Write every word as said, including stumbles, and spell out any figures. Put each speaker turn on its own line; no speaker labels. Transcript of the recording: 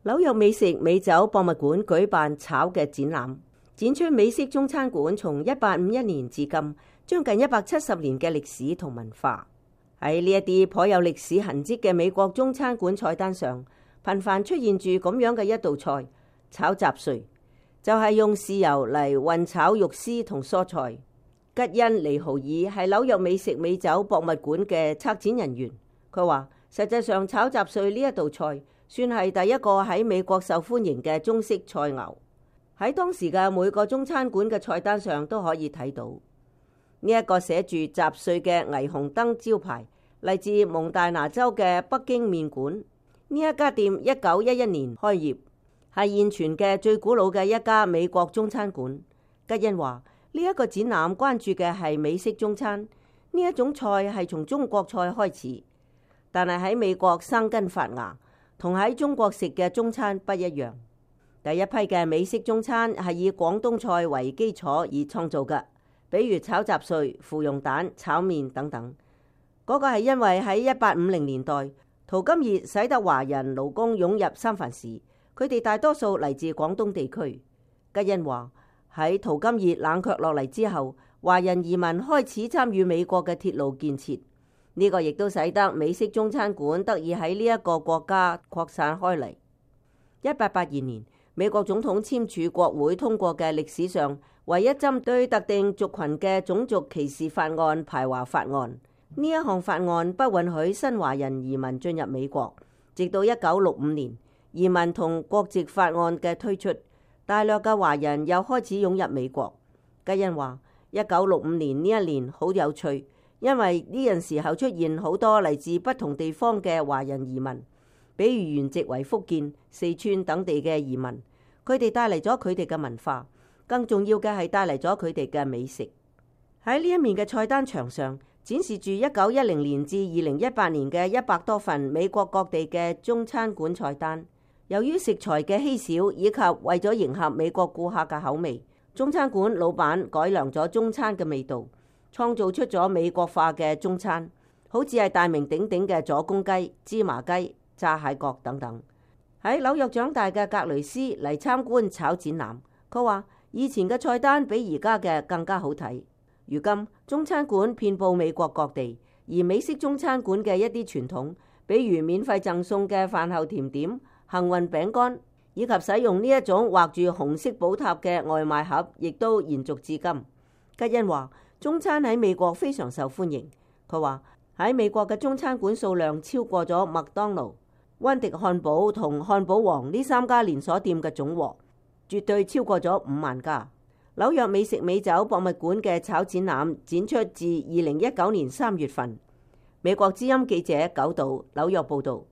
紐約美食美酒博物館舉辦炒嘅展覽，展出美式中餐館從一八五一年至今將近一百七十年嘅歷史同文化。喺呢一啲頗有歷史痕跡嘅美國中餐館菜單上，頻繁出現住咁樣嘅一道菜——炒雜碎，就係、是、用豉油嚟混炒肉絲同蔬菜。吉恩尼豪爾係紐約美食美酒博物館嘅策展人員，佢話實際上炒雜碎呢一道菜算係第一個喺美國受歡迎嘅中式菜餚，喺當時嘅每個中餐館嘅菜單上都可以睇到呢一個寫住雜碎嘅霓虹燈招牌，嚟自蒙大拿州嘅北京麵館。呢一家店一九一一年開業，係現存嘅最古老嘅一家美國中餐館。吉恩話呢一個展覽關注嘅係美式中餐，呢一種菜係從中國菜開始，但係喺美國生根發芽，同喺中國食嘅中餐不一樣。第一批嘅美式中餐係以廣東菜為基礎而創造嘅，比如炒雜碎、芙蓉蛋、炒麵等等。嗰、那個係因為喺一八五零年代，淘金熱使得華人勞工湧入三藩市，佢哋大多數嚟自廣東地區。吉恩話喺淘金熱冷卻落嚟之後，華人移民開始參與美國嘅鐵路建設，呢、這個亦都使得美式中餐館得以喺呢一個國家擴散開嚟。一八八二年，美國總統簽署國會通過嘅歷史上唯一針對特定族群嘅種族歧視法案排華法案。呢一項法案不允許新華人移民進入美國，直到一九六五年移民同國籍法案嘅推出，大量嘅華人又開始湧入美國。吉恩話一九六五年呢一年好有趣，因為呢陣時候出現好多嚟自不同地方嘅華人移民，比如原籍為福建、四川等地嘅移民，佢哋帶嚟咗佢哋嘅文化，更重要嘅係帶嚟咗佢哋嘅美食。喺呢一面嘅菜單牆上展示住一九一零年至二零一八年嘅一百多份美國各地嘅中餐館菜單。由於食材嘅稀少，以及為咗迎合美國顧客嘅口味，中餐館老闆改良咗中餐嘅味道，創造出咗美國化嘅中餐，好似係大名鼎鼎嘅左公雞、芝麻雞、炸蟹角等等。喺紐約長大嘅格雷斯嚟參觀炒展覽，佢話以前嘅菜單比而家嘅更加好睇。如今中餐館遍佈美國各地，而美式中餐館嘅一啲傳統，比如免費贈送嘅飯後甜點、幸運餅乾，以及使用呢一種畫住紅色寶塔嘅外賣盒，亦都延續至今。吉恩話中餐喺美國非常受歡迎。佢話喺美國嘅中餐館數量超過咗麥當勞、溫迪漢堡同漢堡王呢三家連鎖店嘅總和，絕對超過咗五萬家。紐約美食美酒博物館嘅炒展覽展出自二零一九年三月份。美國之音記者九島紐約報道。